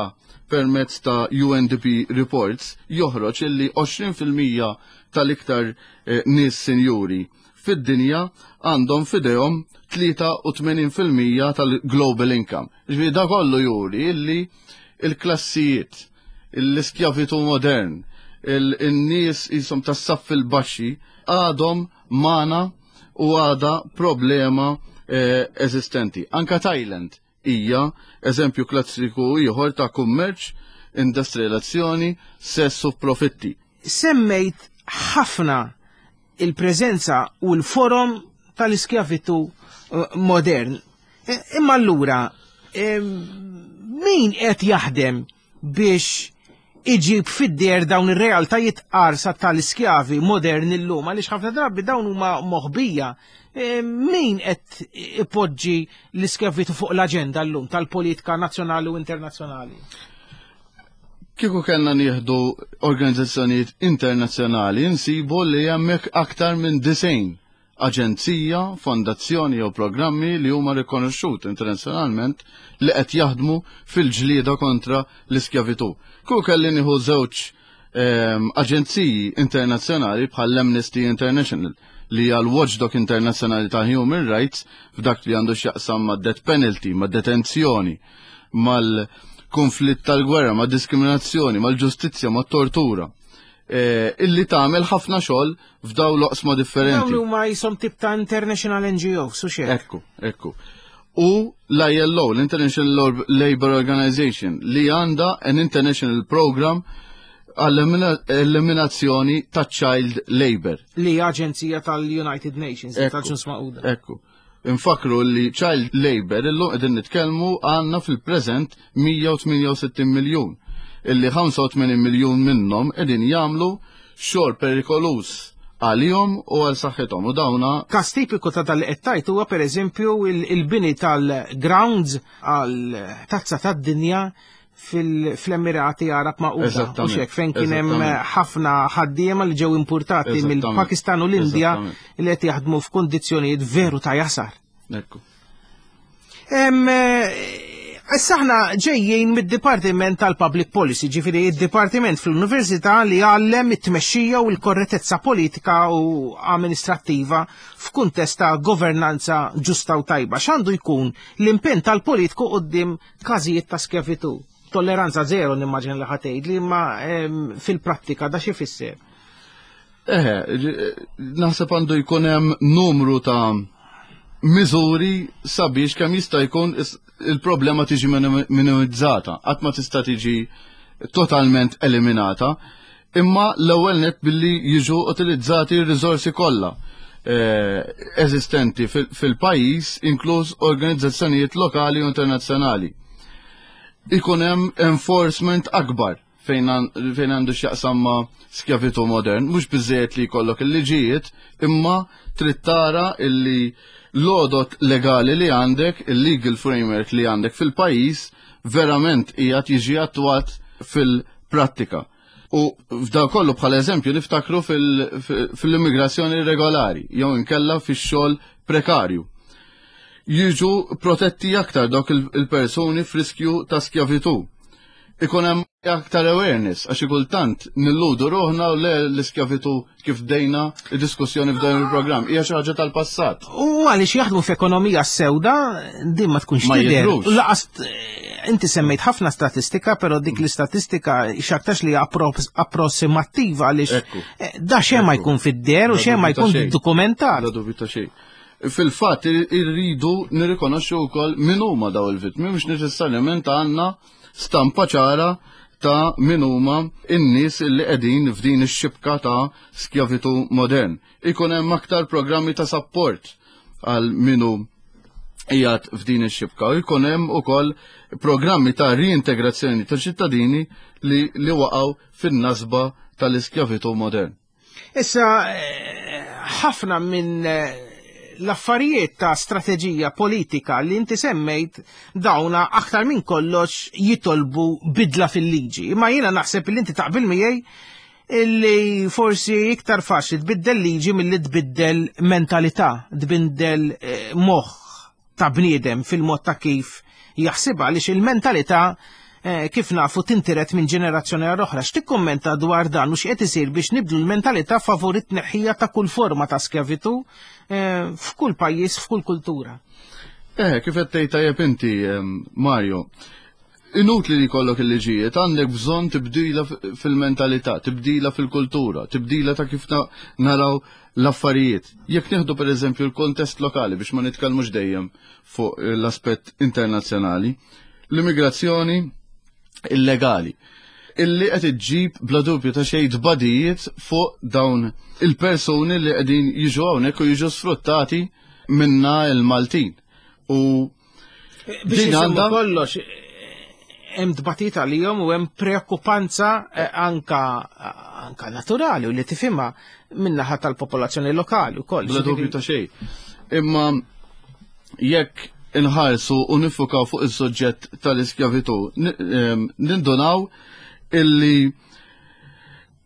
permezz ta' U N D P reports joħroġ illi għoxrin fil-mija tal-iktar eh, nies sinjuri fid-dinja għandhom fidejhom tlieta u tmenin fil-mija tal-global income. Ġifieri da kollu juri illi il-klassijiet, l-iskjavitu modern, il-nies jisom tas-saff il-baxxi għadhom magħna u għada problema eh, eżistenti. Anka Thailand hija eżempju klassiku ieħor ta' kummerċ, industrializzazzjoni, sess u profitti. Semmejt ħafna il-preżenza u l-forom tal-iskjavitu eh, modern. E, imma allura, eh, min qed jaħdem biex iġib fid-der dawn ir-realtajiet qarsa tal-iskjavi modern illum, għaliex ħafna drabi dawn huma moħbija? E, min qed ipoġġi l-iskjavitu fuq l-aġenda llum tal-politika nazzjonali u internazzjonali? Kieku kellna nieħdu organizzazzjonijiet internazzjonali, nsibu li hemmhekk aktar minn disgħin aġenzija, fondazzjoni jew programmi li huma rikonoxxuti internazzjonalment li qed jaħdmu fil-ġlieda kontra l-iskjavitu. Kieku kelli nieħu żewġ ehm, aġenziji internazzjonali bħal Amnesty International, li hija l-watchdog internazzjonali ta' human rights f'dak li għandu x'jaqsam ma' death penalty, ma' detenzjoni, mal-konflitt tal-gwerra, ma' diskriminazzjoni, mal-ġustizzja, ma' tortura. Eh, illi tagħmel ħafna xogħol f'daw l-oqsma differenti. Dawn huma jisom tip ta' international N G O, su xejn. Ekku, ekku. U l-I L O, l-International Labour Organization, li għandha an international program għall-eliminazzjoni ta' child labor. Li aġenzija tal-United Nations, tal-Ġnus Magħquda. Ekku. Infakru li child labor illum qegħdin nitkellmu għandna fil-preżent mija u tmienja u sittin miljun, illi ħamsa u tmenin miljun minnhom qegħdin jagħmlu xogħol perikoluż għalihom u għal saħħithom u dawna Kas tipiku ta' dal qed huwa pereżempju il-bini tal-grounds għal tazza tad-dinja fil-Emirati Arab Magħquda. U xek, fejn kien hemm ħafna ħaddiema li ġew importati mill-Pakistan u l-Indja li qed jaħdmu f'kundizzjonijiet veru ta' jasar. Ekku. Issa aħna ġejjin mid-Dipartiment tal-Public Policy, ġifieri id-Dipartiment fl-Università li għallem it-tmexxija u l-korrettezza politika u amministrattiva f'kuntest ta' governanza ġusta u tajba. X'għandu jkun l-impenn tal-politiku quddiem każijiet ta' skjavitu? Tolleranza zero nimmaġina li ħa tgħid li, ma fil-prattika da xi fisser? Eħe, naħseb għandu jkun hemm numru ta' miżuri sabiex kemm jista' jkun il-problema tiġi minimizzata, qatt ma tista' tiġi totalment eliminata, imma l-ewwel net billi jiġu utilizzati r-riżorsi kollha eh, eżistenti fil-pajjiż, inkluż organizzazzjonijiet lokali u internazzjonali. Ikun hemm enforcement akbar fejn għandu x'jaqsam ma' skjavitu modern, mhux biżejjed li jkollok il-liġijiet, imma trid tara illi l-għodot legali li għandek, il-legal framework li għandek fil-pajjiż verament qiegħed jiġi attwat fil-prattika. U f'da kollu, bħala eżempju, niftakru fil-immigrazzjoni regolari, jew inkella fix-xogħol prekarju. Jiġu protetti aktar dawk il-persuni f'riskju ta' skjavitu. Ikun hemm aktar awareness, għax kultant nilludu ruħna u le l-iskjavitu, kif bdejna id-diskussjoni f'dan il-programm, hija xi ħaġa tal-passat. U għaliex jaħdmu f'ekonomija sewda, din ma tkunx Ma tidher. jidhrux. Laqas inti semmejt ħafna statistika, però dik l-istatistika x'aktarx li approssimattiva għaliex Ekku. eh, da xejn ma Ekku. jkun fid-der u La xejn ma dubju ta' jkun xejn. dokumentat. La dubju ta' xejn. Fil-fatt irridu nirrikonoxxu wkoll min huma daw il-vittmi, mhux neċessarjament għandna stampa ċara ta' min huma in-nies li qegħdin f'din ix-xibka ta' skjavitu modern. Ikun hemm aktar programmi ta' support għal minu qiegħed f'din ix-xibka u jkun hemm ukoll programmi ta' reintegrazzjoni ta' ċittadini li, li waqgħu fin-nasba tal-iskjavitu modern. Issa, eh, ħafna minn eh, L-affarijiet ta' strateġija politika li inti semmejt dawna aktar minn kollox jitolbu bidla fil-liġi. Imma jiena naħseb li inti taqbel miegħi illi forsi iktar faċli tbiddel liġi milli tbiddel mentalità, tbiddel eh, moħħ ta' bniedem fil-mod ta' kif jaħsibha, għaliex il-mentalità eh, kif nafu tintiret minn ġenerazzjoni għal oħra. X'tikkummenta dwar dan u x'qed isir biex nibdlu l-mentalità favur it-tneħħija ta' kull forma ta' skjavitu eh, f'kull pajjiż, f'kull kultura? Eh, kif qed tgħid tajjeb inti, Mario. Inutli li jkollok il-liġijiet, għandek bżonn tibdila fil-mentalità, tibdila fil-kultura, tibdila ta' kif naraw l-affarijiet. Jekk nieħdu pereżempju l-kontest lokali biex ma nitkellmux dejjem fuq l-aspett internazzjonali, l-immigrazzjoni illegali illi qed iġġib bla dubju ta' xejn tbadijiet fuq dawn il-persuni li qegħdin jiġu hawnhekk u jiġu sfruttati minna il-Maltin. U biex għandha kollox hemm tbatita għalihom u hemm preokkupanza anka anka naturali u li tifhimha min-naħa tal-popolazzjoni lokali wkoll. Bla dubju ta' xejn. Imma jekk inħarsu u nifukaw fuq is-suġġett tal-iskjavitu, nindunaw illi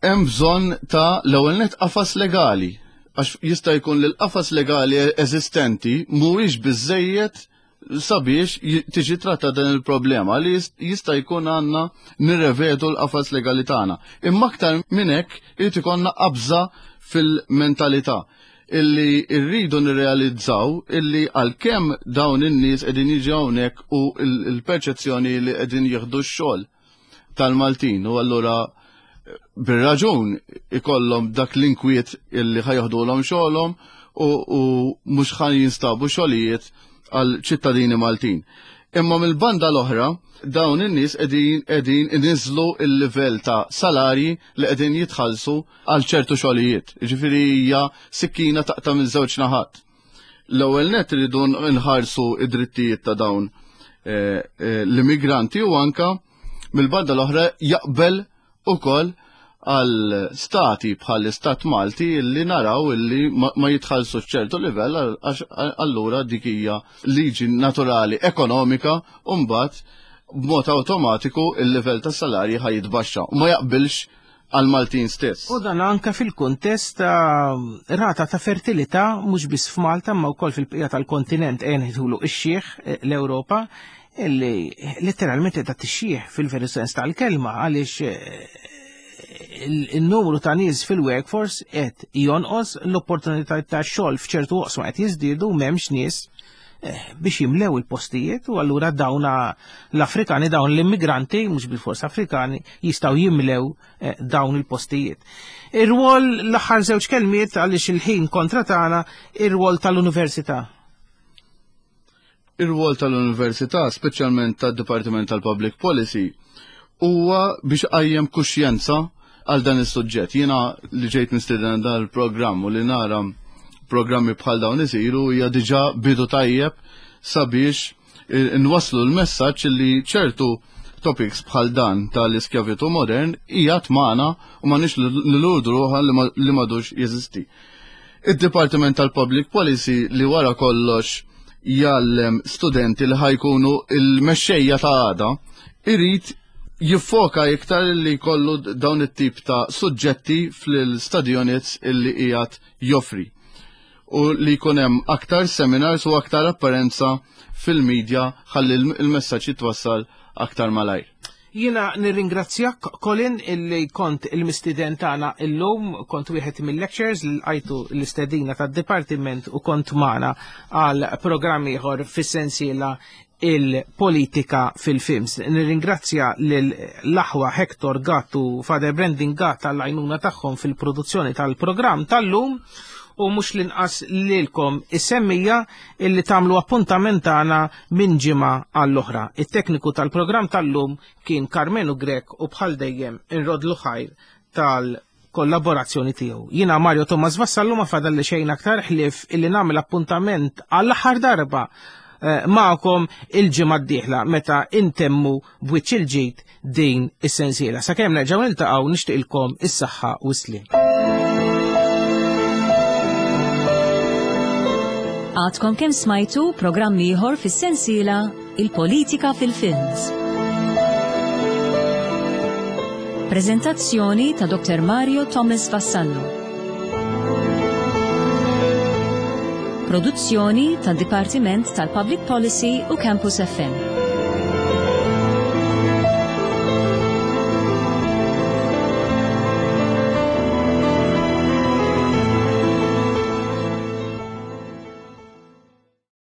hemm bżonn ta' l-ewwel nett qafas legali, għax jista' jkun li l-qafas legali eżistenti mhuwiex biżejjed sabiex tiġi tratta dan il-problema li jista' jkun għandna nirrevedu l-qafas legali tagħna. Imma aktar minn hekk irid ikollna qabża fil-mentalità illi rridu nirrealizzaw illi għalkemm dawn in-nies qegħdin jiġu hawnhekk u l-perċezzjoni li qegħdin jieħdu x-xogħol tal-Maltin u allura bir-raġun ikollhom dak l-inkwiet illi ħajoħdulhom xogħolhom u mhux ħan jinstabu xogħlijiet għal ċittadini Maltin. Imma mill-banda l-oħra dawn in-nies qegħdin qegħdin iniżlu l-livell ta' salarji li qegħdin jitħallsu għal ċertu xogħlijiet. Jiġifieri hija sikkina taqta' minn żewġ naħat. L-ewwel nett iridu nħarsu id-drittijiet ta' dawn eh, eh, l-immigranti u anka mill-banda l-oħra jaqbel ukoll għal stati bħal istat Malti illi naraw illi ma jitħallsu ċertu livell għax allura dik hija liġi naturali ekonomika u mbagħad b'mod awtomatiku il-livell tas salarji ħaj jitbaxxa u ma jaqbilx għal Maltin stess. U dan anka fil-kuntest ta' rata ta' fertilità mhux biss f'Malta ma wkoll fil-bqija tal-kontinent qegħdin jidħulu ix-xieħ l-Ewropa illi letteralment qiegħda tixjieħ fil-veru sens tal-kelma għaliex il-numru ta' nies fil-workforce qed jonqos, l-opportunità ta' xogħol f'ċertu oqsma qed jiżdiedu u m'hemmx nies biex jimlew il-postijiet u allura dawn l-Afrikani, dawn l-immigranti, mhux bil-fors Afrikani, jistgħu jimlew dawn il-postijiet. Ir-rwol l-aħħar żewġ kelmiet għaliex il-ħin kontra tagħna, ir-rwol tal-università. Ir-rwol tal-università, speċjalment tad-Dipartiment tal-Public Policy, huwa biex qajjem kuxjenza għal dan is-suġġett. Jiena li ġejt mistieden dan il-programm u li nara programmi bħal dawn isiru hija diġà bidu tajjeb sabiex nwasslu l-messaġġ li ċertu topics bħal dan tal-iskjavitu modern hija tmagħna u m'għandniex nilurdu ruħha li m'għadux jeżisti. Id-Dipartiment tal-Public Policy li wara kollox jgħallem studenti li ħajkunu il-mexxejja ta' għada irid jiffoka iktar li jkollu dawn it-tip ta' suġġetti fl-stadjonits illi qiegħed joffri u li jkun hemm aktar seminars u aktar apparenza fil-medja ħalli il-messaġġ jitwassal aktar malajr. Jiena nirringrazzjak Colin illi kont il-mistiden tagħna illum, kont wieħed mill-lectures li lqajtu l-istedina tad-dipartiment u kont magħna għal programm ieħor fis-sensiela il-politika fil-films. Nirringrazzja lill-aħwa Hector Gatt u Father Brandon Gatt tal-għajnuna tagħhom fil-produzzjoni tal-programm tal-lum u mhux l-inqas lilkom is-semmija illi tagħmlu appuntament tagħna minn ġimgħa għall-oħra. It-tekniku tal-programm tal-lum kien Carmenu Grech u bħal dejjem inrodlu ħajr tal-kollaborazzjoni tiegħu. Jiena Mario Thomas Vassallo ma fadal li xejn aktar ħlief illi nagħmel appuntament għall-aħħar darba magħkom il-ġimgħa d-dieħla meta intemmu b'wiċċ il-ġid din is-sensiela. Sakemm nerġgħu niltaqgħu nixtieqilkom is-saħħa u s-sliem. Għadkom kemm smajtu programm ieħor fis-sensiela Il-Politika fil-Films. Prezentazzjoni ta' Doktor Mario Thomas Vassallo. Produzzjoni tad Dipartiment tal-Public Policy u Campus F M.